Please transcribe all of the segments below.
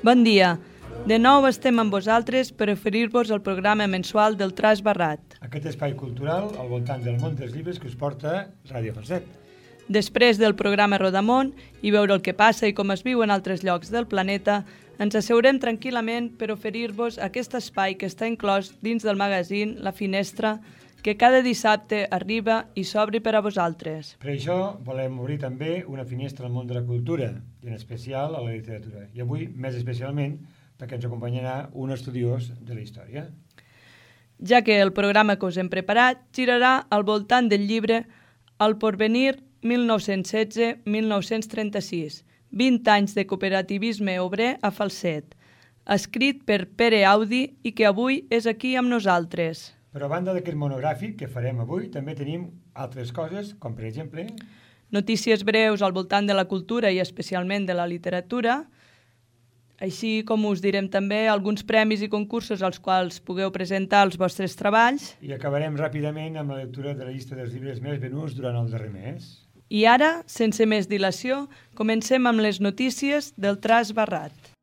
Bon dia. De nou estem amb vosaltres per oferir-vos el programa mensual del Traç Barrat. Aquest espai cultural al voltant del món dels llibres que us porta Ràdio Falset. Després del programa Rodamont i veure el que passa i com es viu en altres llocs del planeta, ens asseurem tranquil·lament per oferir-vos aquest espai que està inclòs dins del magazín La Finestra, que cada dissabte arriba i s'obre per a vosaltres. Per això volem obrir també una finestra al món de la cultura, i en especial a la literatura. I avui, més especialment, perquè ens acompanyarà un estudiós de la història. Ja que el programa que us hem preparat girarà al voltant del llibre El Porvenir 1916-1936, 20 anys de cooperativisme obrer a Falset, escrit per Pere Audi i que avui és aquí amb nosaltres. Però a banda d'aquest monogràfic que farem avui, també tenim altres coses, com per exemple... Notícies breus al voltant de la cultura i especialment de la literatura, així com us direm també alguns premis i concursos als quals pugueu presentar els vostres treballs. I acabarem ràpidament amb la lectura de la llista dels llibres més venuts durant el darrer mes. I ara, sense més dilació, comencem amb les notícies del Traç Barrat.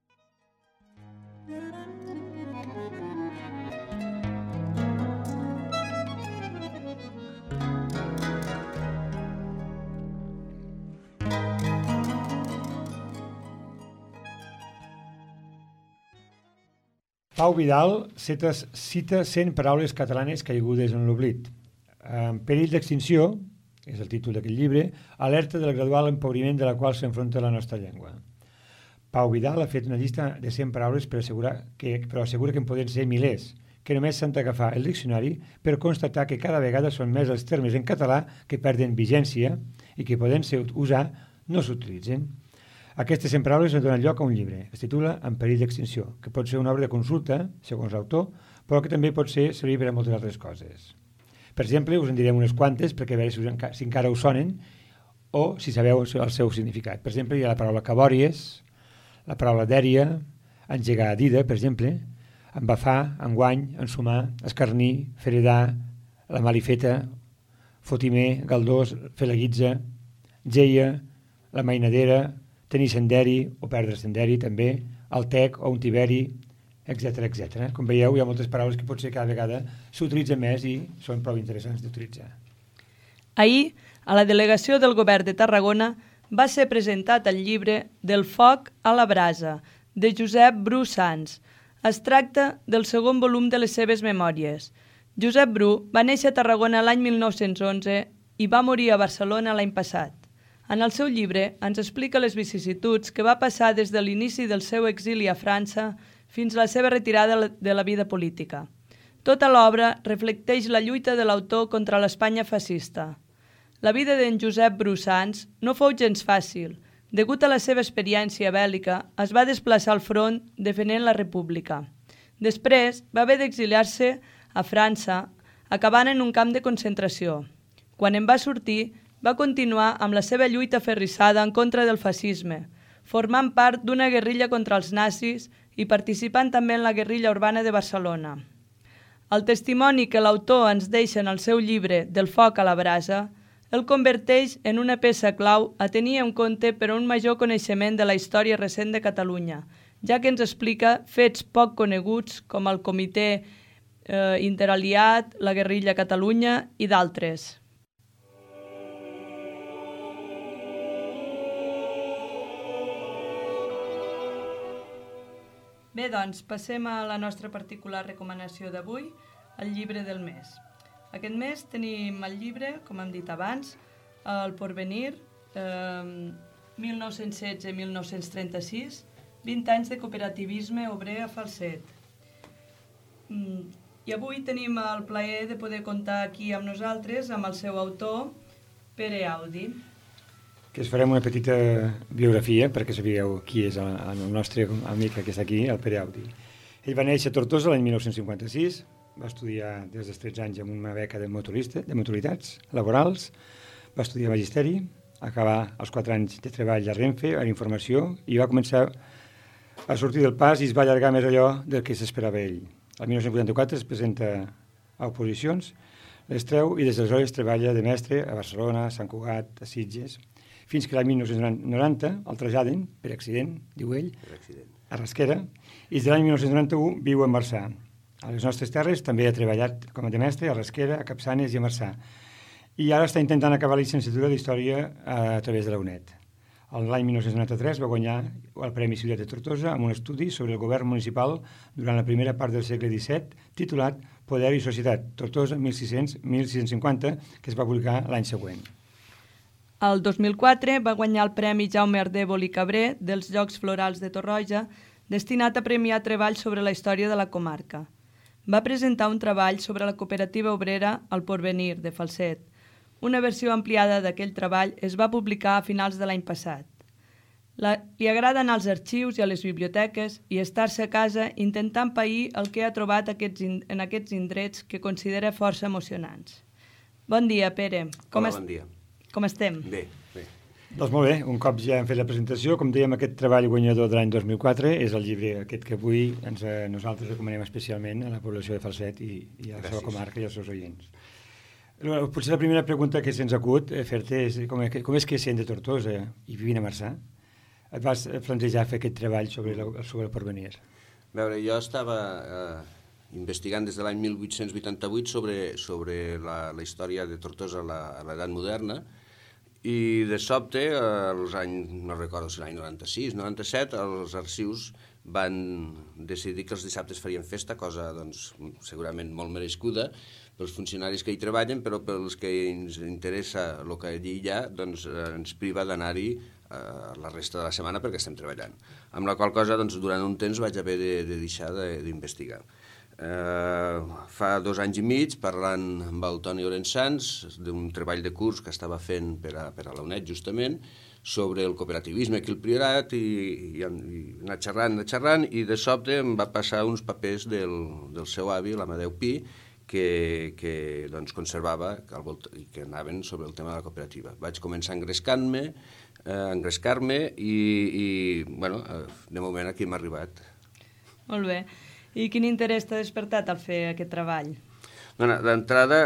Pau Vidal cita 100 paraules catalanes caigudes en l'oblit. En perill d'extinció, és el títol d'aquest llibre, alerta del gradual empobriment de la qual s'enfronta la nostra llengua. Pau Vidal ha fet una llista de 100 paraules però assegura que en poden ser milers, que només s'han d'agafar el diccionari per constatar que cada vegada són més els termes en català que perden vigència i que poden ser usar no s'utilitzen. Aquestes 100 paraules han donat lloc a un llibre. Es titula En perill d'extinció, que pot ser una obra de consulta, segons l'autor, però que també pot servir per a moltes altres coses. Per exemple, us en direm unes quantes perquè a veure si encara us sonen o si sabeu el seu significat. Per exemple, hi ha la paraula cabòries, la paraula dèria, engegar a dida, per exemple, embafar, enguany, ensumar, escarnir, feredar, la malifeta, fotimer, galdós, fer la guitza, geia, la mainadera, tenir senderi o perdre senderi també, el tec o un tiberi, etc etc. Com veieu, hi ha moltes paraules que potser cada vegada s'utilitzen més i són prou interessants d'utilitzar. Ahir, a la delegació del Govern de Tarragona, va ser presentat el llibre Del foc a la brasa, de Josep Bru Sans. Es tracta del segon volum de les seves memòries. Josep Bru va néixer a Tarragona l'any 1911 i va morir a Barcelona l'any passat. En el seu llibre ens explica les vicissituds que va passar des de l'inici del seu exili a França fins a la seva retirada de la vida política. Tota l'obra reflecteix la lluita de l'autor contra l'Espanya fascista. La vida d'en Josep Bru Sans no fou gens fàcil. Degut a la seva experiència bèl·lica, es va desplaçar al front defendent la República. Després va haver d'exiliar-se a França, acabant en un camp de concentració. Quan en va sortir, va continuar amb la seva lluita aferrissada en contra del fascisme, formant part d'una guerrilla contra els nazis i participant també en la guerrilla urbana de Barcelona. El testimoni que l'autor ens deixa en el seu llibre Del foc a la brasa el converteix en una peça clau a tenir en compte per a un major coneixement de la història recent de Catalunya, ja que ens explica fets poc coneguts com el Comitè Interaliat, la guerrilla a Catalunya i d'altres. Bé, doncs, passem a la nostra particular recomanació d'avui, el llibre del mes. Aquest mes tenim el llibre, com hem dit abans, El Porvenir, 1916-1936, 20 anys de cooperativisme obrer a Falset. I avui tenim el plaer de poder comptar aquí amb nosaltres, amb el seu autor, Pere Audi. Que us farem una petita biografia perquè sabíeu qui és el nostre amic que està aquí, el Pere Audi. Ell va néixer a Tortosa l'any 1956, va estudiar des dels 13 anys amb una beca de motoritats laborals, Va estudiar Magisteri, acabar els 4 anys de treball a Renfe, a Informació, i va començar a sortir del pas i es va allargar més allò del que s'esperava ell. El 1984 es presenta a oposicions, les treu i des d'aleshores treballa de mestre a Barcelona, a Sant Cugat, a Sitges, fins que l'any 1990 el traslladen, per accident, diu ell, a Rasquera, i des de l'any 1991 viu a Marçà. A les nostres terres també ha treballat com a de mestre a Rasquera, a Capçanes i a Marçà. I ara està intentant acabar la llicenciatura d'Història a través de la UNED. L'any 1993 va guanyar el Premi Ciutat de Tortosa amb un estudi sobre el govern municipal durant la primera part del segle XVII, titulat Poder i Societat, Tortosa 1600-1650, que es va publicar l'any següent. El 2004 va guanyar el Premi Jaume Ardèvol i Cabré dels Jocs Florals de Torroja, destinat a premiar treballs sobre la història de la comarca. Va presentar un treball sobre la cooperativa obrera El Porvenir, de Falset. Una versió ampliada d'aquell treball es va publicar a finals de l'any passat. Li agrada anar als arxius i a les biblioteques i estar-se a casa intentant pair el que ha trobat en aquests indrets que considera força emocionants. Bon dia, Pere. Hola, bon dia. Com estem? Bé, bé. Doncs molt bé, un cop ja hem fet la presentació, com dèiem, aquest treball guanyador de l'any 2004 és el llibre aquest que avui nosaltres recomanem especialment a la població de Falset i a la seva comarca i als seus oients. Potser la primera pregunta que se'ns acut fer-te és com és que sent de Tortosa i vivint a Marçà et vas plantejar fer aquest treball sobre el porvenir? A veure, jo estava investigant des de l'any 1888 sobre la història de Tortosa a l'edat moderna i de sobte, als anys, no recordo si l'any 96, 97, els arxius van decidir que els dissabtes farien festa, cosa doncs, segurament molt merescuda pels funcionaris que hi treballen, però pels que ens interessa el que allí hi ha, doncs ens priva d'anar-hi la resta de la setmana perquè estem treballant. Amb la qual cosa, doncs, durant un temps vaig haver de deixar d'investigar. Fa 2 anys i mig, parlant amb el Toni Orensans d'un treball de curs que estava fent per a la UNED, justament, sobre el cooperativisme aquí al Priorat i anar xerrant, i de sobte em va passar uns papers del seu avi, l'Amadeu Pi, que doncs, conservava i que anaven sobre el tema de la cooperativa. Vaig començar a engrescar-me i bueno, de moment aquí hem arribat. Molt bé. I quin interès t'ha despertat al fer aquest treball? D'entrada,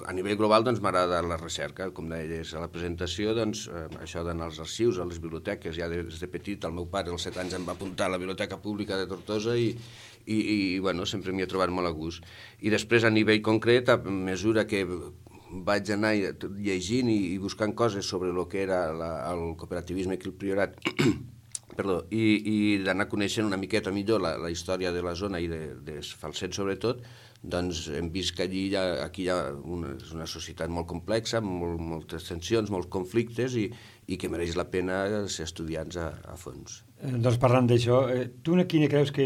a nivell global doncs, m'agrada la recerca, com deies a la presentació, doncs, això d'anar als arxius, a les biblioteques, ja des de petit, el meu pare als 7 anys em va apuntar a la Biblioteca Pública de Tortosa i bueno, sempre m'hi he trobat molt a gust. I després, a nivell concret, a mesura que vaig anar llegint i buscant coses sobre el que era el cooperativisme aquí al Priorat, i d'anar coneixent una miqueta millor la història de la zona i de Falset sobretot, doncs hem vist que aquí hi ha una societat molt complexa, amb moltes tensions, molts conflictes i que mereix la pena ser estudiants a fons. Doncs parlant d'això, tu quina creus que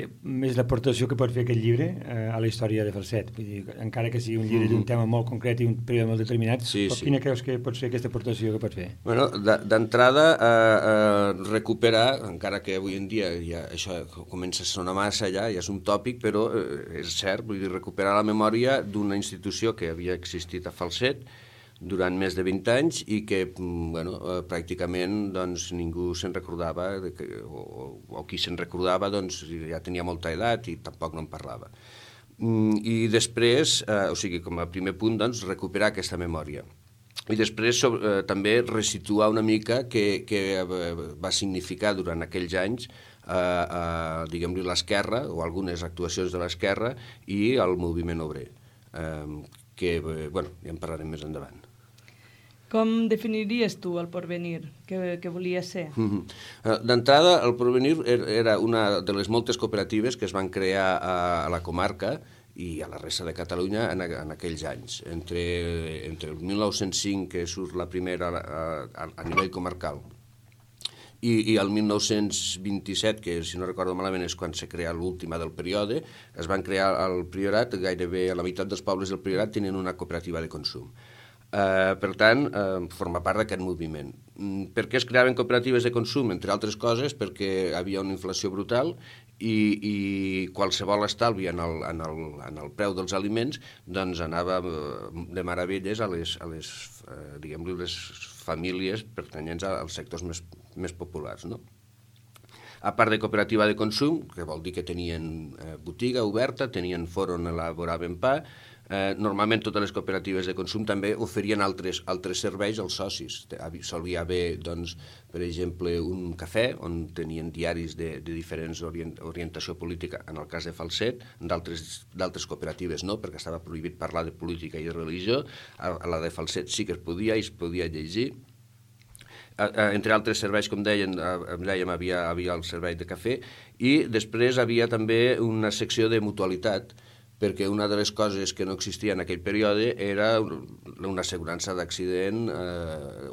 és l'aportació que pot fer aquest llibre a la història de Falset? Vull dir, encara que sigui un llibre d'un tema molt concret i un període molt determinat, quina creus que pot ser aquesta aportació que pot fer? Bueno, d'entrada, recuperar, encara que avui en dia ja això comença a sonar massa ja és un tòpic, però és cert, vull dir, recuperar la memòria d'una institució que havia existit a Falset durant més de 20 anys i que bueno, pràcticament doncs, ningú se'n recordava o qui se'n recordava doncs, ja tenia molta edat i tampoc no en parlava. I després, o sigui, com a primer punt, doncs, recuperar aquesta memòria. I després també resituar una mica què va significar durant aquells anys diguem-li l'esquerra o algunes actuacions de l'esquerra i el moviment obrer, que bueno, ja en parlarem més endavant. Com definiries tu el porvenir que volia ser? D'entrada, el porvenir era una de les moltes cooperatives que es van crear a la comarca i a la resta de Catalunya en aquells anys. Entre el 1905, que surt la primera a nivell comarcal, i el 1927, que si no recordo malament és quan se crea l'última del període, es van crear al Priorat, gairebé a la meitat dels pobles del Priorat tenen una cooperativa de consum. Per tant, forma part d'aquest moviment. Per què es creaven cooperatives de consum? Entre altres coses, perquè hi havia una inflació brutal i qualsevol estalvi en el preu dels aliments doncs anava de meravelles a les diguem-li, les famílies pertanyents als sectors més populars, no? A part de cooperativa de consum, que vol dir que tenien botiga oberta, tenien forn on elaboraven pa. Normalment totes les cooperatives de consum també oferien altres serveis als socis. Solia haver, doncs, per exemple, un cafè on tenien diaris de diferents orientació política, en el cas de Falset, d'altres cooperatives no, perquè estava prohibit parlar de política i de religió. A la de Falset sí que es podia i es podia llegir. Entre altres serveis, com dèiem, havia el servei de cafè i després havia també una secció de mutualitat, perquè una de les coses que no existia en aquell període era una assegurança d'accident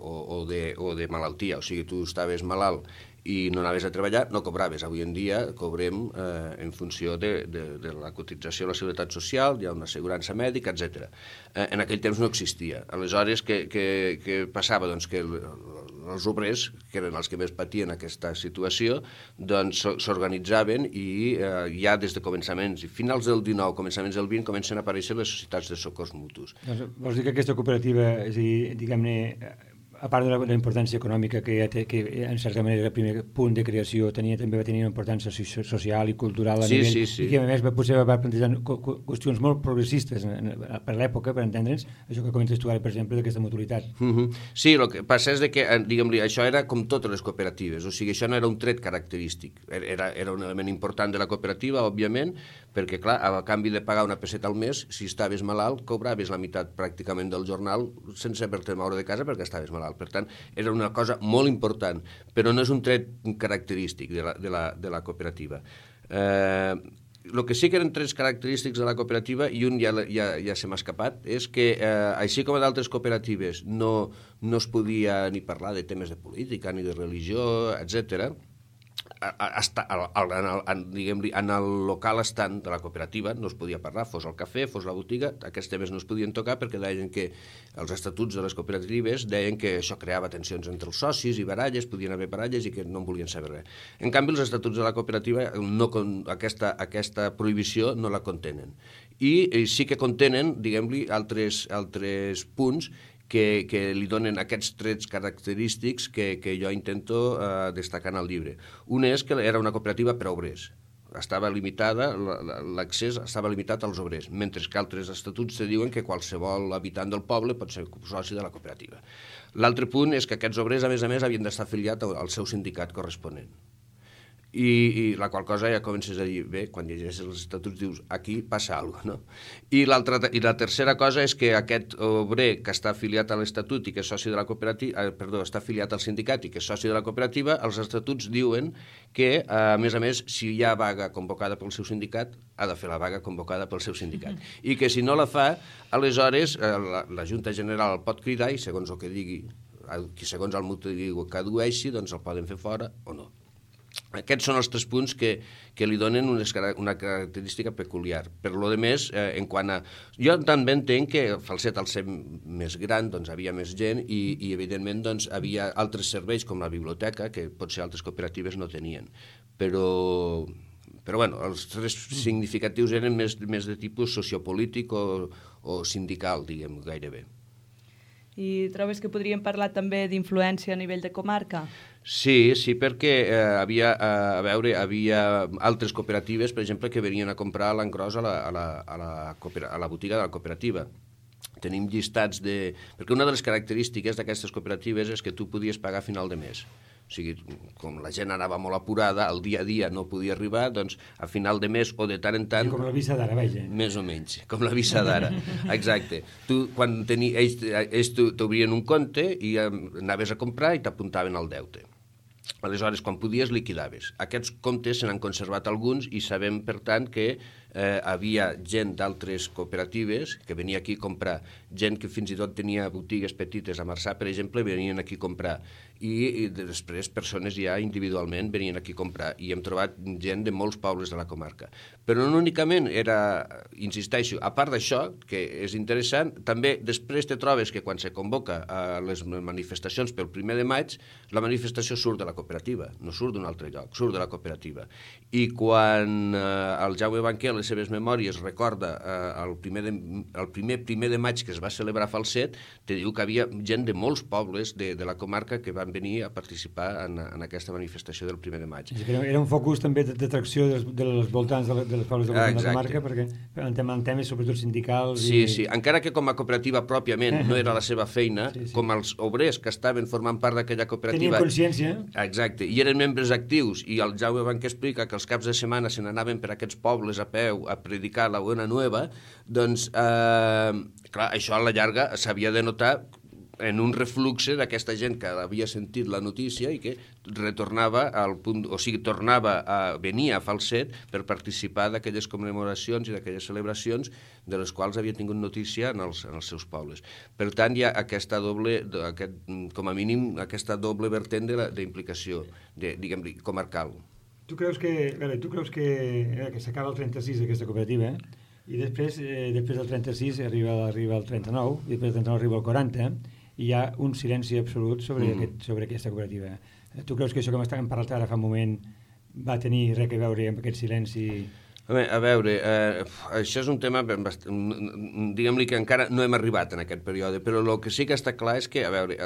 o de malaltia. O sigui, tu estaves malalt i no anaves a treballar, no cobraves. Avui en dia cobrem en funció de la cotització a la Seguretat Social, hi ha una assegurança mèdica, etc. En aquell temps no existia. Aleshores, què passava? Doncs que els obrers, que eren els que més patien aquesta situació, doncs s'organitzaven i ja des de començaments, finals del 19, començaments del 20, comencen a aparèixer les societats de socors mutus. Doncs vols dir que aquesta cooperativa, és a dir, diguem-ne, a part de la importància econòmica que en certa manera el primer punt de creació també va tenir una importància social i cultural a nivell, i que a més potser va plantejar qüestions molt progressistes per l'època, per entendre'ns, això que comentes tu ara, per exemple, d'aquesta mutualitat. Sí, el que passa és que, diguem-li, això era com totes les cooperatives, o sigui, això no era un tret característic, era un element important de la cooperativa, òbviament, perquè, clar, a canvi de pagar una peseta al mes, si estaves malalt, cobraves la meitat pràcticament del jornal sense haver-te de moure de casa perquè estaves malalt. Per tant, era una cosa molt important, però no és un tret característic de la cooperativa. El que sí que eren trets característics de la cooperativa, i un ja se m'ha escapat, és que, així com a d'altres cooperatives no es podia ni parlar de temes de política ni de religió, etc., en el local estant de la cooperativa no es podia parlar, fos el cafè, fos la botiga, aquests temes no es podien tocar perquè deien que els estatuts de les cooperatives deien que això creava tensions entre els socis i baralles, podien haver baralles i que no en volien saber res. En canvi, els estatuts de la cooperativa aquesta prohibició no la contenen. I sí que contenen, diguem-li, altres punts que li donen aquests trets característics que jo intento destacar en el llibre. Un és que era una cooperativa per a obrers. L'accés estava limitat als obrers, mentre que altres estatuts te diuen que qualsevol habitant del poble pot ser soci de la cooperativa. L'altre punt és que aquests obrers, a més, havien d'estar afiliats al seu sindicat corresponent. I la qual cosa ja comences a dir, bé, quan llegeixes els estatuts dius, aquí passa alguna cosa, no? I la tercera cosa és que aquest obrer que està afiliat a l'estatut i que és soci de la cooperativa, està afiliat al sindicat i que és soci de la cooperativa, els estatuts diuen que, a més, si hi ha vaga convocada pel seu sindicat, ha de fer la vaga convocada pel seu sindicat. I que si no la fa, aleshores la Junta General el pot cridar i segons el que digui, segons el motiu que adueixi, doncs el poden fer fora o no. Aquests són els 3 punts que li donen una característica peculiar. Per lo de més, en quant a... Jo també entenc que Falset, al ser més gran, doncs havia més gent i evidentment, doncs, havia altres serveis com la biblioteca, que potser altres cooperatives no tenien. Però bueno, els 3 significatius eren més de tipus sociopolític o sindical, diguem, gairebé. I trobes que podríem parlar també d'influència a nivell de comarca? Sí, perquè havia altres cooperatives, per exemple, que venien a comprar l'engròs a la botiga de la cooperativa. Tenim llistats de... Perquè una de les característiques d'aquestes cooperatives és que tu podies pagar a final de mes. O sigui, com la gent anava molt apurada, el dia a dia no podia arribar, doncs a final de mes o de tant en tant... Com la visa d'ara, vaja. Més o menys, com la visa d'ara, exacte. Tu, quan ells t'obrien un compte i anaves a comprar i t'apuntaven al deute. Aleshores, quan podies, liquidaves. Aquests comptes se n'han conservat alguns i sabem, per tant, que havia gent d'altres cooperatives que venia aquí a comprar, gent que fins i tot tenia botigues petites a Marçà, per exemple, venien aquí a comprar, i després persones ja individualment venien aquí a comprar, i hem trobat gent de molts pobles de la comarca. Però no únicament era, insisteixo, a part d'això, que és interessant, també després te trobes que quan se convoca a les manifestacions pel 1 de maig, la manifestació surt de la cooperativa, no surt d'un altre lloc, surt de la cooperativa. I quan el Jaume Banquer, a les seves memòries, recorda el primer 1 de maig que es va celebrar a Falset, te diu que havia gent de molts pobles de la comarca que van venir a participar en aquesta manifestació del 1 de maig. Era un focus també d'atracció dels voltants dels pobles de la comarca, perquè en temes sobretot sindicals... Sí, encara que com a cooperativa pròpiament no era la seva feina, com els obrers que estaven formant part d'aquella cooperativa... Tenien consciència. Exacte, i eren membres actius, i el Jaume Banquer explica que els caps de setmana se n'anaven per aquests pobles a peu a predicar la Buena Nueva, doncs, clar, això a la llarga s'havia de notar en un refluxe d'aquesta gent que havia sentit la notícia i que retornava al punt, o sigui, tornava a venir a Falset per participar d'aquelles commemoracions i d'aquelles celebracions de les quals havia tingut notícia en els seus pobles. Per tant, hi ha aquesta doble, com a mínim, aquesta doble vertent d'implicació, diguem-ne, comarcal. Tu creus que s'acaba el 36 aquesta cooperativa, i després del 36 arriba el 39, i després del 39 arriba el 40, i hi ha un silenci absolut sobre aquesta cooperativa. Tu creus que això que hem parlat ara fa un moment va tenir res a veure amb aquest silenci? A veure, això és un tema, diguem-li que encara no hem arribat en aquest període, però el que sí que està clar és que, a veure,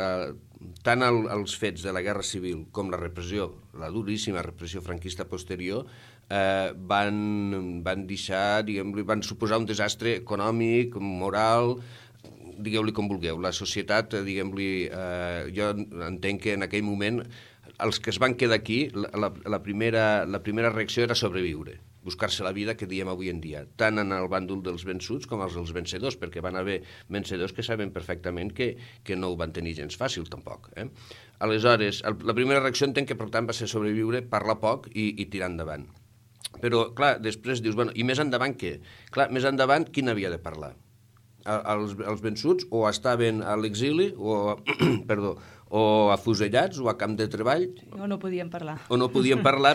tant els fets de la Guerra Civil com la repressió, la duríssima repressió franquista posterior, van deixar, diguem-li, van suposar un desastre econòmic, moral, digueu-li com vulgueu. La societat, diguem-li, jo entenc que en aquell moment els que es van quedar aquí, la primera reacció era sobreviure, buscar-se la vida que diem avui en dia, tant en el bàndol dels vençuts com els dels vencedors, perquè van haver vencedors que saben perfectament que no ho van tenir gens fàcil, tampoc. Aleshores, la primera reacció entenc que, per tant, va ser sobreviure, parlar poc i tirar endavant. Però, clar, després dius, bueno, i més endavant què? Clar, més endavant, qui n'havia de parlar? Els vençuts o estaven a l'exili o afusellats o a camp de treball o no podien parlar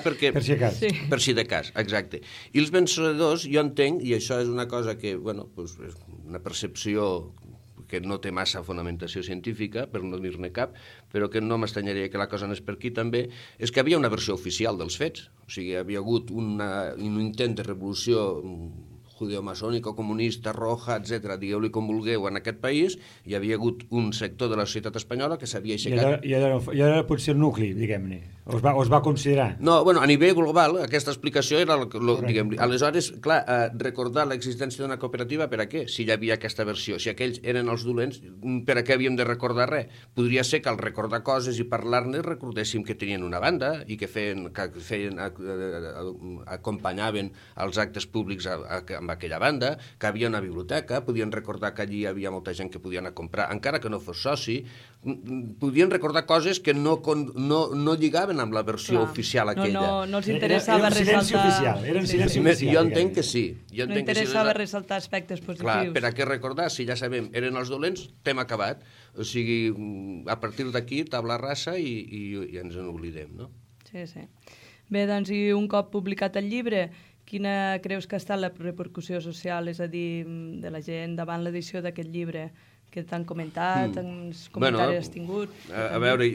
perquè, per si de cas. Sí. Per si de cas, exacte. I els vencedors, jo entenc, i això és una cosa que, bueno, és una percepció que no té massa fonamentació científica, per no dir-ne cap, però que no m'estranyaria que la cosa anés per aquí també, és que havia una versió oficial dels fets. O sigui, havia hagut un intent de revolució judeomaçònica, comunista, roja, etc., digueu-li com vulgueu, en aquest país, hi havia hagut un sector de la societat espanyola que s'havia aixecat... I ara potser el nucli, diguem-ne, o es va considerar? No, bueno, a nivell global, aquesta explicació era, diguem-ne... Aleshores, clar, recordar l'existència d'una cooperativa, per a què? Si hi havia aquesta versió, si aquells eren els dolents, per a què havíem de recordar res? Podria ser que al recordar coses i parlar-ne recordéssim que tenien una banda i que acompanyaven els actes públics amb aquella banda, que havia una biblioteca, podien recordar que allí hi havia molta gent que podia anar a comprar, encara que no fos soci, podien recordar coses que no lligaven amb la versió oficial aquella. No els interessava ressaltar... Era un silenci oficial. Jo entenc que sí. No interessava ressaltar aspectes positius. Clar, per a què recordar? Si ja sabem, eren els dolents, tema acabat. O sigui, a partir d'aquí, tabla rasa i ens en oblidem, no? Sí. Bé, doncs, i un cop publicat el llibre, quina creus que ha estat la repercussió social, és a dir, de la gent davant l'edició d'aquest llibre? Que t'han comentat, tants comentaris has tingut? A veure,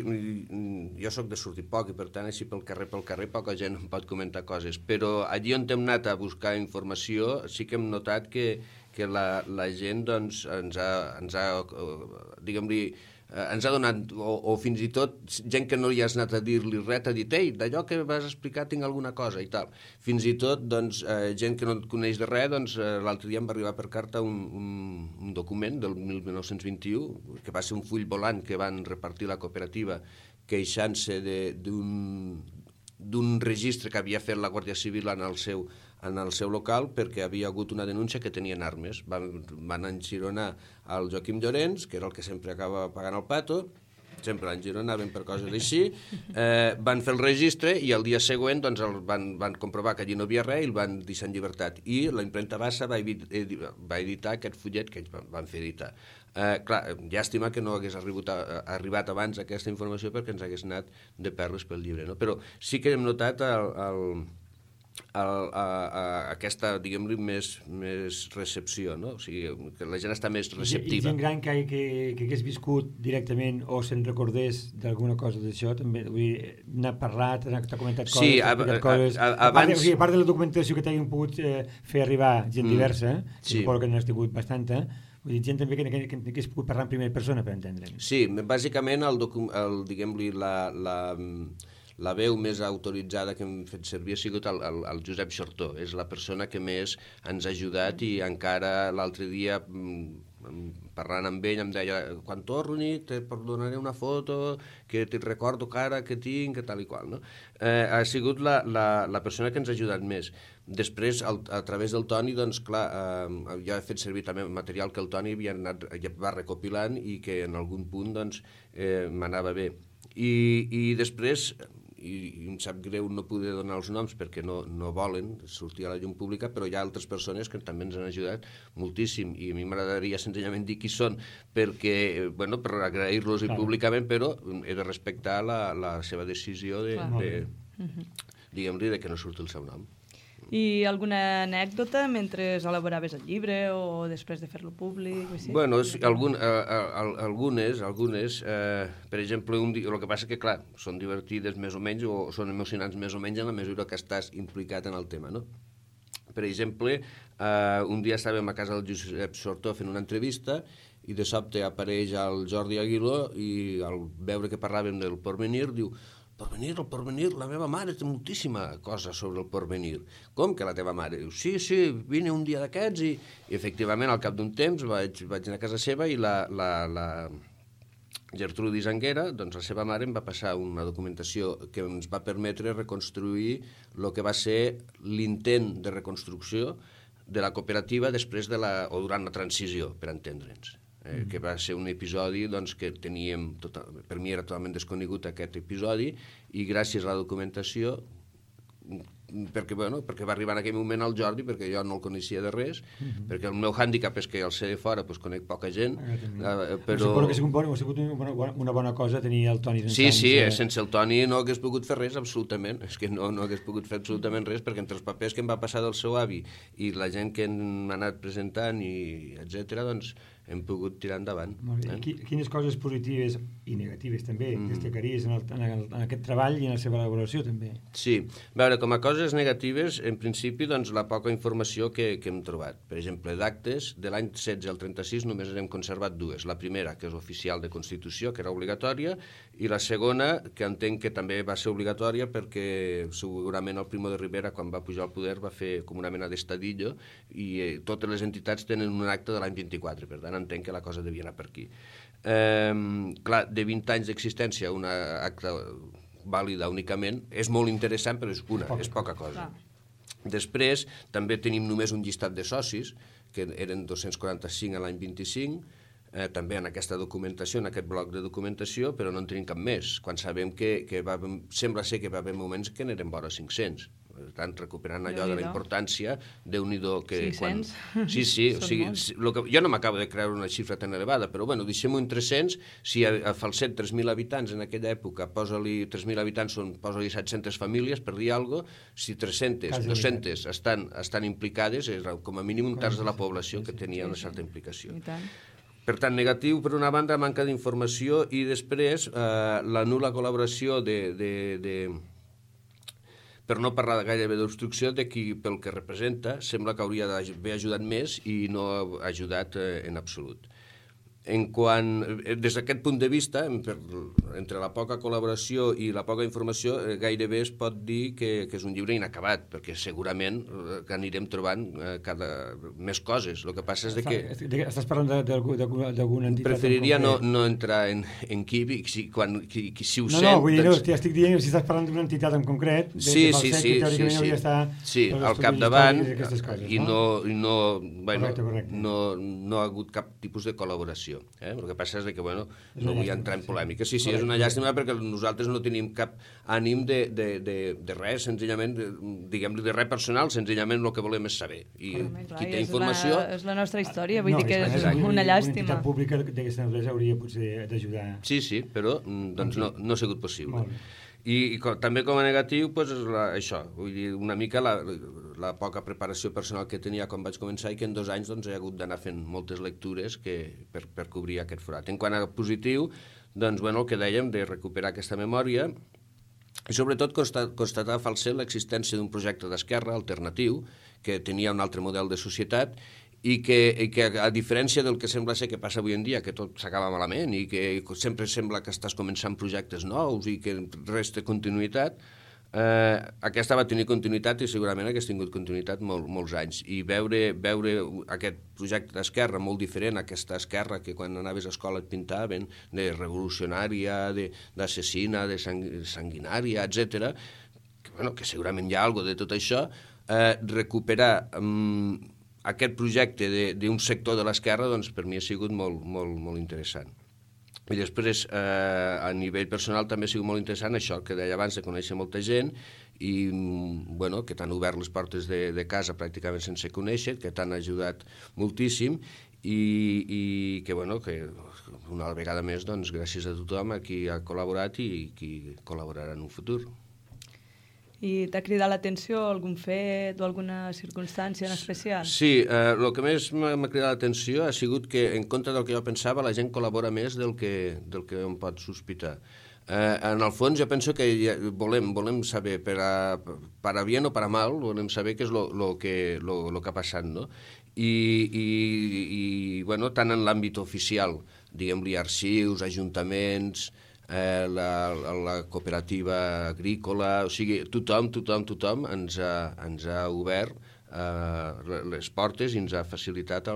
jo sóc de sortir poc i per tant així pel carrer poca gent em pot comentar coses, però allí on hem anat a buscar informació sí que hem notat que la gent doncs, ens ha diguem-li, ens ha donat, o fins i tot gent que no hi has anat a dir-li res, t'ha dit, ei, d'allò que vas explicar tinc alguna cosa i tal. Fins i tot, doncs, gent que no et coneix de res, doncs, l'altre dia em va arribar per carta un document del 1921, que va ser un full volant que van repartir la cooperativa queixant-se d'un registre que havia fet la Guàrdia Civil en el seu local perquè havia hagut una denúncia que tenien armes. Van enxironar el Joaquim Llorenç, que era el que sempre acaba pagant el pato, sempre a Girona anaven per coses així, van fer el registre i el dia següent doncs, van comprovar que allí no havia res i el van deixar en llibertat. I la impremta Bassa va editar aquest fullet que ells van fer editar. Clar, llàstima que no hagués arribat abans aquesta informació perquè ens hagués anat de perles pel llibre, no? Però sí que hem notat aquesta, diguem-li, més recepció, no? O sigui, que la gent està més receptiva. I gent gran que hagués viscut directament o se'n recordés d'alguna cosa d'això, també, vull dir, n'ha parlat, t'ha comentat coses, sí, coses. Abans... A part de la documentació que t'hagin pogut fer arribar gent diversa, sí. Suposo que n'has tingut bastanta, vull dir, gent també que hagués pogut parlar en primera persona, per entendre'm. Sí, bàsicament, diguem-li, la veu més autoritzada que hem fet servir ha sigut el Josep Xortó. És la persona que més ens ha ajudat i encara l'altre dia, parlant amb ell, em deia quan torni te donaré una foto que te recordo cara que tinc, que tal i qual. No? Ha sigut la persona que ens ha ajudat més. Després, a través del Toni, doncs, clar, jo he fet servir també material que el Toni va recopilant i que en algun punt doncs, m'anava bé. I després... i em sap greu no poder donar els noms perquè no volen sortir a la llum pública, però hi ha altres persones que també ens han ajudat moltíssim i a mi m'agradaria senzillament dir qui són perquè, bueno, per agrair-los públicament, però he de respectar la seva decisió diguem-li, de que no surti el seu nom. I alguna anècdota mentre elaboraves el llibre o després de fer-lo públic? Bueno, algunes. Per exemple, el que passa que, clar, són divertides més o menys o són emocionants més o menys en la mesura que estàs implicat en el tema, no? Per exemple, un dia estàvem a casa del Josep Xortó fent una entrevista i de sobte apareix el Jordi Aguiló i al veure que parlàvem del Porvenir diu el Porvenir, la meva mare té moltíssima cosa sobre el Porvenir. Com que la teva mare? Diu, sí, vine un dia d'aquests i efectivament al cap d'un temps vaig anar a casa seva i la Gertrudis Anguera, doncs la seva mare em va passar una documentació que ens va permetre reconstruir el que va ser l'intent de reconstrucció de la cooperativa després o durant la transició, per entendre'ns. Que va ser un episodi doncs, que teníem, per mi era totalment desconegut aquest episodi i gràcies a la documentació perquè va arribar en aquell moment al Jordi, perquè jo no el coneixia de res, perquè el meu hàndicap és que al ser de fora conec poca gent, però... Suposo que ha sigut una bona cosa tenir el Toni Sí, sense el Toni no hagués pogut fer res, absolutament, és que no hagués pogut fer absolutament res, perquè entre els papers que em va passar del seu avi i la gent que m'ha anat presentant, etc., doncs hem pogut tirar endavant. Quines coses positives i negatives també destacaries en aquest treball i en la seva elaboració també? Sí, a veure, com a coses negatives, en principi, doncs, la poca informació que hem trobat. Per exemple, d'actes, de l'any 16 al 36 només n'hem conservat dues. La primera, que és oficial de Constitució, que era obligatòria, i la segona, que entenc que també va ser obligatòria perquè segurament el Primo de Rivera, quan va pujar al poder, va fer com una mena d'estadillo i totes les entitats tenen un acte de l'any 24, per tant, entenc que la cosa devia anar per aquí. Clar, de 20 anys d'existència, una acta vàlida únicament, és molt interessant, però és poca cosa. Després, també tenim només un llistat de socis, que eren 245 a l'any 25, també en aquesta documentació, en aquest bloc de documentació, però no en tenim cap més, quan sabem que sembla ser que va haver moments que n'eren vora 500. Per tant, recuperant allò de la importància, Déu-n'hi-do que... 500? Sí, o sigui, jo no m'acabo de creure una xifra tan elevada, però bueno, deixem-ho en 300, si a Falset 3.000 habitants en aquella època, posa-li 3.000 habitants, posa-li 700 famílies, per dir alguna cosa, si 300, 200 estan implicades, és com a mínim un terç de la població que tenia una certa implicació. Per tant, negatiu, per una banda, manca d'informació i després la nul·la col·laboració per no parlar gairebé d'obstrucció, de qui, pel que representa, sembla que hauria d'haver ajudat més i no ha ajudat en absolut. Des d'aquest punt de vista, entre la poca col·laboració i la poca informació, gairebé es pot dir que és un llibre inacabat, perquè segurament que anirem trobant més coses. El que passa és que... Estàs parlant d'alguna entitat? Preferiria no entrar en qui si ho sent... No, vull dir, estic dient si estàs parlant d'una entitat en concret, sí, teòricament hauria d'estar al capdavant, i correcte. no ha hagut cap tipus de col·laboració. El que passa és que, no vull entrar en polèmica. Sí, és una llàstima perquè nosaltres no tenim cap ànim de res, senzillament, diguem-li, de res personal, senzillament el que volem és saber. I qui té informació... És la nostra història, vull dir que és una llàstima. Una entitat pública d'aquesta naturalesa hauria potser d'ajudar. Sí, però no ha sigut possible. I també com a negatiu és això, vull dir, una mica la poca preparació personal que tenia quan vaig començar i que en 2 anys he hagut d'anar fent moltes lectures per cobrir aquest forat. En quant a positiu, el que dèiem de recuperar aquesta memòria i sobretot constatar a Falset l'existència d'un projecte d'esquerra alternatiu que tenia un altre model de societat i que a diferència del que sembla ser que passa avui en dia, que tot s'acaba malament i que sempre sembla que estàs començant projectes nous i que res té continuïtat, aquesta va tenir continuïtat i segurament hagués tingut continuïtat molts anys. I veure aquest projecte d'esquerra molt diferent, aquesta esquerra que quan anaves a escola et pintaven de revolucionària, d'assassina, de sanguinària, etc., que segurament hi ha alguna cosa de tot això, recuperar aquest projecte d'un sector de l'esquerra, per mi ha sigut molt interessant. I després, a nivell personal, també ha sigut molt interessant això que deia abans, de conèixer molta gent i que t'han obert les portes de casa pràcticament sense conèixer, que t'han ajudat moltíssim i que una vegada més, gràcies a tothom a qui ha col·laborat i qui col·laborarà en un futur. I t'ha cridat l'atenció algun fet o alguna circumstància en especial? Sí, el que més m'ha cridat l'atenció ha sigut que, en contra del que jo pensava, la gent col·labora més del que em pot sospitar. En el fons, jo penso que volem saber, per a bien o per a mal, volem saber què és el que ha passat, no? I tant en l'àmbit oficial, diguem-li, arxius, ajuntaments, la cooperativa agrícola, o sigui, tothom ens ha obert les portes i ens ha facilitat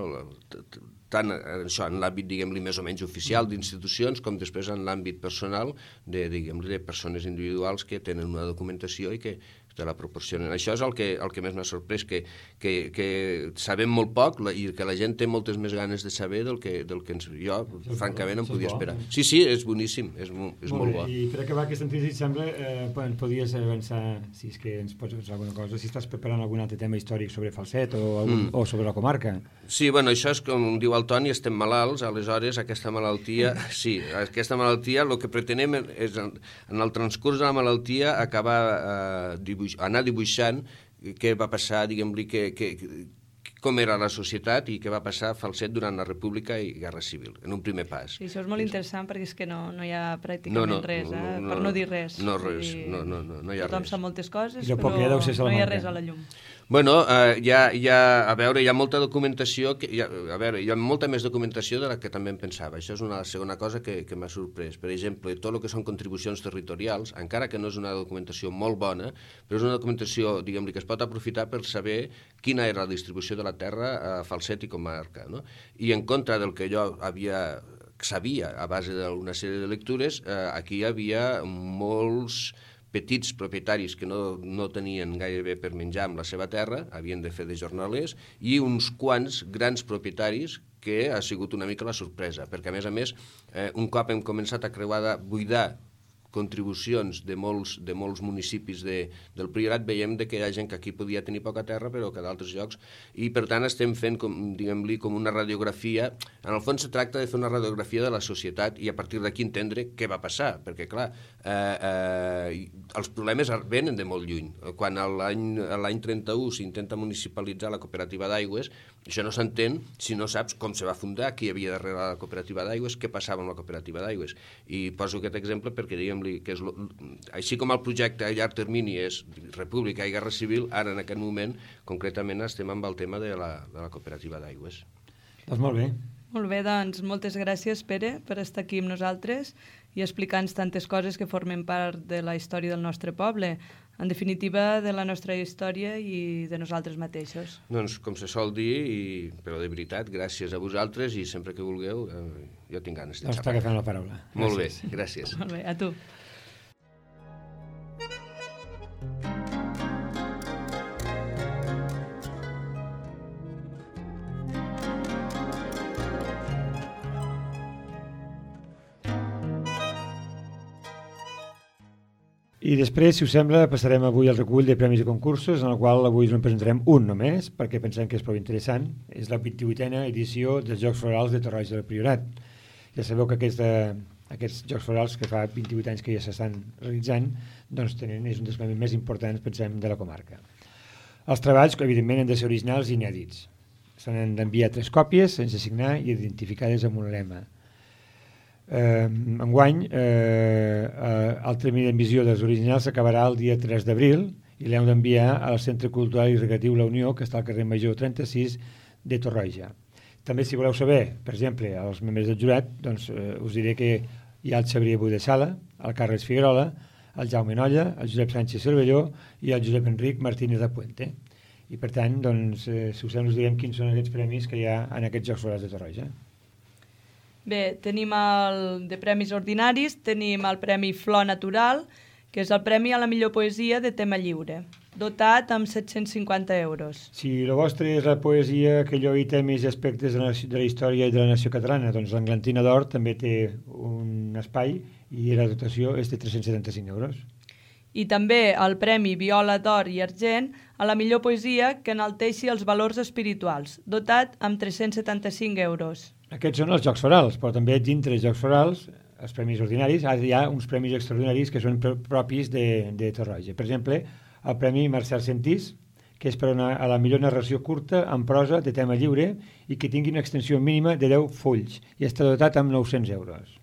tant això en l'àmbit, diguem-li, més o menys oficial d'institucions, com després en l'àmbit personal de persones individuals que tenen una documentació i que te la proporcionen. Això és el que més m'ha sorprès, que sabem molt poc i que la gent té moltes més ganes de saber del que jo, francament, em podia esperar. Sí, és boníssim, és molt bo. I per acabar aquesta entrevista, sembla, ens podies avançar, si és que ens pots avançar alguna cosa, si estàs preparant algun altre tema històric sobre Falset o sobre la comarca. Sí, això és com diu el Toni, estem malalts, aleshores aquesta malaltia, el que pretenem és, en el transcurs de la malaltia, acabar anar dibuixant què va passar, diguem-li, com era la societat i què va passar a Falset durant la República i Guerra Civil, en un primer pas. I això és molt interessant perquè és que no hi ha pràcticament res, per no dir res. No hi ha res. Tothom sap moltes coses, però no hi ha res a la llum. Hi ha molta documentació, hi ha molta més documentació de la que també em pensava. Això és una segona cosa que m'ha sorprès. Per exemple, tot el que són contribucions territorials, encara que no és una documentació molt bona, però és una documentació, diguem-li, que es pot aprofitar per saber quina era la distribució de la terra a Falset i comarca, no? I en contra del que jo sabia a base d'una sèrie de lectures, aquí hi havia molts petits propietaris que no tenien gairebé per menjar amb la seva terra, havien de fer de jornalers, i uns quants grans propietaris que ha sigut una mica la sorpresa, perquè a més, un cop hem començat a buidar contribucions de molts municipis del Priorat, veiem que hi ha gent que aquí podia tenir poca terra, però que d'altres llocs, i per tant estem fent, diguem-li, com una radiografia. En el fons se tracta de fer una radiografia de la societat i a partir d'aquí entendre què va passar, perquè clar, els problemes venen de molt lluny. Quan l'any 31 s'intenta municipalitzar la cooperativa d'aigües, això no s'entén si no saps com se va fundar, qui hi havia darrere la cooperativa d'aigües, què passava amb la cooperativa d'aigües. I poso aquest exemple perquè, diguem-li, que així com el projecte a llarg termini és República i Guerra Civil, ara en aquest moment concretament estem amb el tema de la cooperativa d'aigües. Doncs molt bé. Molt bé, doncs moltes gràcies, Pere, per estar aquí amb nosaltres i explicar-nos tantes coses que formen part de la història del nostre poble, en definitiva de la nostra història i de nosaltres mateixos. Doncs com se sol dir, però de veritat, gràcies a vosaltres i sempre que vulgueu, jo tinc ganes de xerrar. Està agafant la paraula. Molt bé, gràcies. Molt bé, a tu. I després, si us sembla, passarem avui al recull de premis i concursos, en el qual avui us en presentarem un només, perquè pensem que és prou interessant. És la 28a edició dels Jocs Florals de Torroja del Priorat. Ja sabeu que aquests Jocs Florals, que fa 28 anys que ja s'estan realitzant, doncs és un dels premis més importants, pensem, de la comarca. Els treballs, evidentment, han de ser originals i inèdits. S'han d'enviar 3 còpies, sense signar i identificades amb un lema. Enguany el termini d'emissió dels originals s'acabarà el dia 3 d'abril i l'heu d'enviar al Centre Cultural i Recreatiu La Unió, que està al carrer Major 36 de Torroja. També, si voleu saber, per exemple, els membres del jurat, doncs us diré que hi ha el Xavier Budesala, el Carles Figuerola, el Jaume Nolla, el Josep Sánchez Cervelló i el Josep Enric Martínez de Puente. I per tant, doncs, si us sembla, us direm quins són aquests premis que hi ha en aquests Jocs Florals de Torroja. Bé, tenim el de premis ordinaris, tenim el Premi Flor Natural, que és el premi a la millor poesia de tema lliure, dotat amb 750 euros. Si el vostre és la poesia que allò temes i aspectes de la història i de la nació catalana, doncs l'Englantina d'Or també té un espai i la dotació és de 375 euros. I també el Premi Viola d'Or i Argent a la millor poesia que enalteixi els valors espirituals, dotat amb 375 euros. Aquests són els Jocs Florals, però també dintre els Jocs Florals, els premis ordinaris, hi ha uns premis extraordinaris que són propis de Torroja. Per exemple, el Premi Marcel Sentís, que és per a la millor narració curta en prosa de tema lliure i que tingui una extensió mínima de 10 fulls i està dotat amb 900 euros.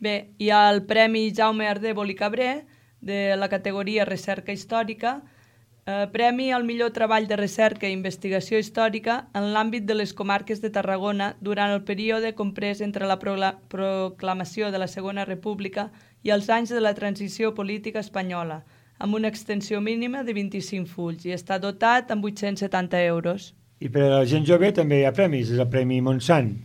Bé, hi ha el Premi Jaume Ardèvol i Cabré, de la categoria Recerca Històrica, premi al millor treball de recerca i investigació històrica en l'àmbit de les comarques de Tarragona durant el període comprès entre la proclamació de la Segona República i els anys de la transició política espanyola, amb una extensió mínima de 25 fulls i està dotat amb 870 euros. I per a la gent jove també hi ha premis, és el Premi Montsant,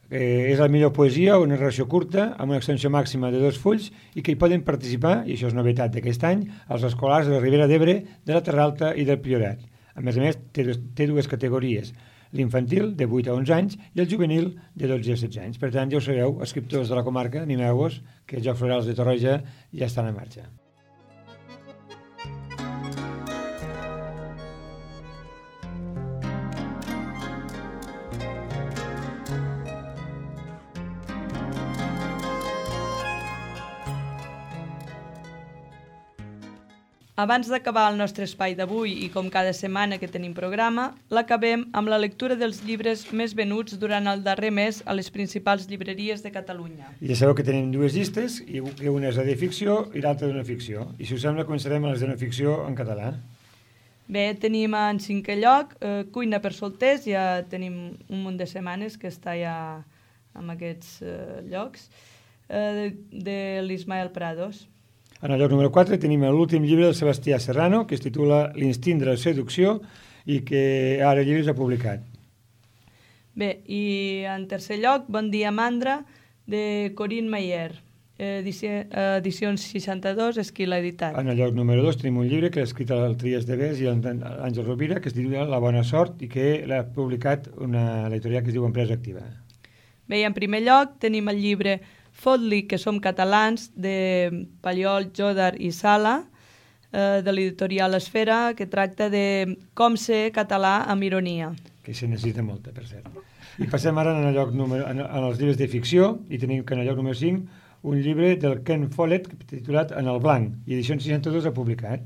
és la millor poesia o narració curta amb una extensió màxima de 2 fulls i que hi poden participar, i això és novetat d'aquest any, els escolars de la Ribera d'Ebre, de la Terra Alta i del Priorat. A més, té dues categories, l'infantil de 8 a 11 anys i el juvenil de 12 a 16 anys. Per tant, ja ho sabeu, escriptors de la comarca, animeu-vos, que els Jocs Florals de Torroja ja estan en marxa. Abans d'acabar el nostre espai d'avui i com cada setmana que tenim programa, l'acabem amb la lectura dels llibres més venuts durant el darrer mes a les principals llibreries de Catalunya. I ja sabeu que tenim dues llistes, i una és la de ficció i l'altra de no ficció. I si us sembla, començarem amb les de no ficció en català. Bé, tenim en 5è lloc Cuina per solters, ja tenim un munt de setmanes que està ja en aquests llocs, de l'Ismael Prados. En el lloc número 4 tenim l'últim llibre del Sebastià Serrano, que es titula L'instint de la seducció i que ara llibre s'ha publicat. Bé, i en tercer lloc, Bon dia Mandra, de Corinne Mayer, edicions 62, és qui l'ha editat. En el lloc número 2 tenim un llibre que l'ha escrit el Trias de Bes i l'Àngel Rovira, que es titula La bona sort i que l'ha publicat una editorial que es diu Empresa Activa. Bé, i en primer lloc tenim el llibre Fot-li que som catalans, de Pallol, Jodar i Sala, de l'editorial Esfera, que tracta de com ser català amb ironia. Que se necessita molta, per cert. I passem ara en els llibres de ficció, i tenim que en el lloc número 5 un llibre del Ken Follett titulat En el blanc, i edició 62 ha publicat.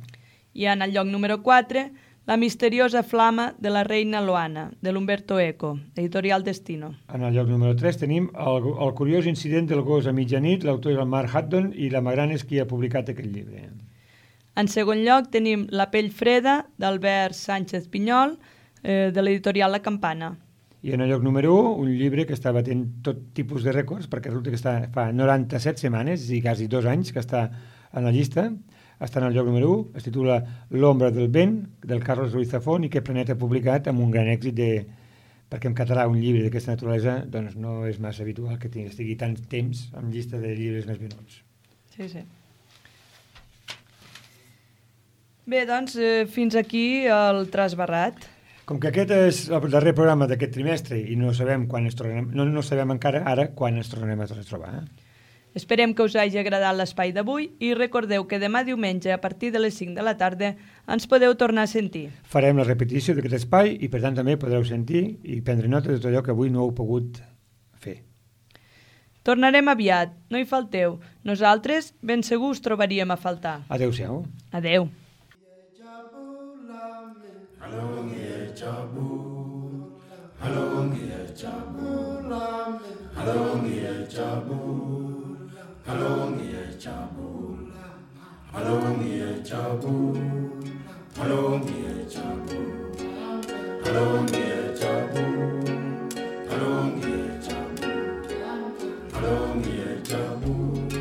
I en el lloc número 4, La misteriosa flama de la reina Loana, de l'Umberto Eco, editorial Destino. En el lloc número 3 tenim el curiós incident del gos a mitjanit, l'autor és el Mark Haddon i la Magrana és qui ha publicat aquest llibre. En segon lloc tenim La pell freda, d'Albert Sánchez Pinyol, de l'editorial La Campana. I en el lloc número 1, un llibre que està batent tot tipus de rècords, perquè resulta que fa 97 setmanes i quasi 2 anys que està en la llista. Està en el lloc número 1, es titula L'ombra del vent, del Carlos Ruiz Zafón, i que Planeta ha publicat amb un gran èxit perquè en català un llibre d'aquesta naturalesa doncs no és massa habitual que estigui tant temps en llista de llibres més venuts. Sí, sí. Bé, doncs, fins aquí el Trasbarrat. Com que aquest és el darrer programa d'aquest trimestre i no sabem quan ens tornem, no sabem encara ara quan ens tornem a trobar. Esperem que us hagi agradat l'espai d'avui i recordeu que demà diumenge a partir de les 5 de la tarda ens podeu tornar a sentir. Farem la repetició d'aquest espai i per tant també podreu sentir i prendre nota de tot allò que avui no heu pogut fer. Tornarem aviat, no hi falteu. Nosaltres ben segur us trobaríem a faltar. Adéu-siau. Adéu. Jabu.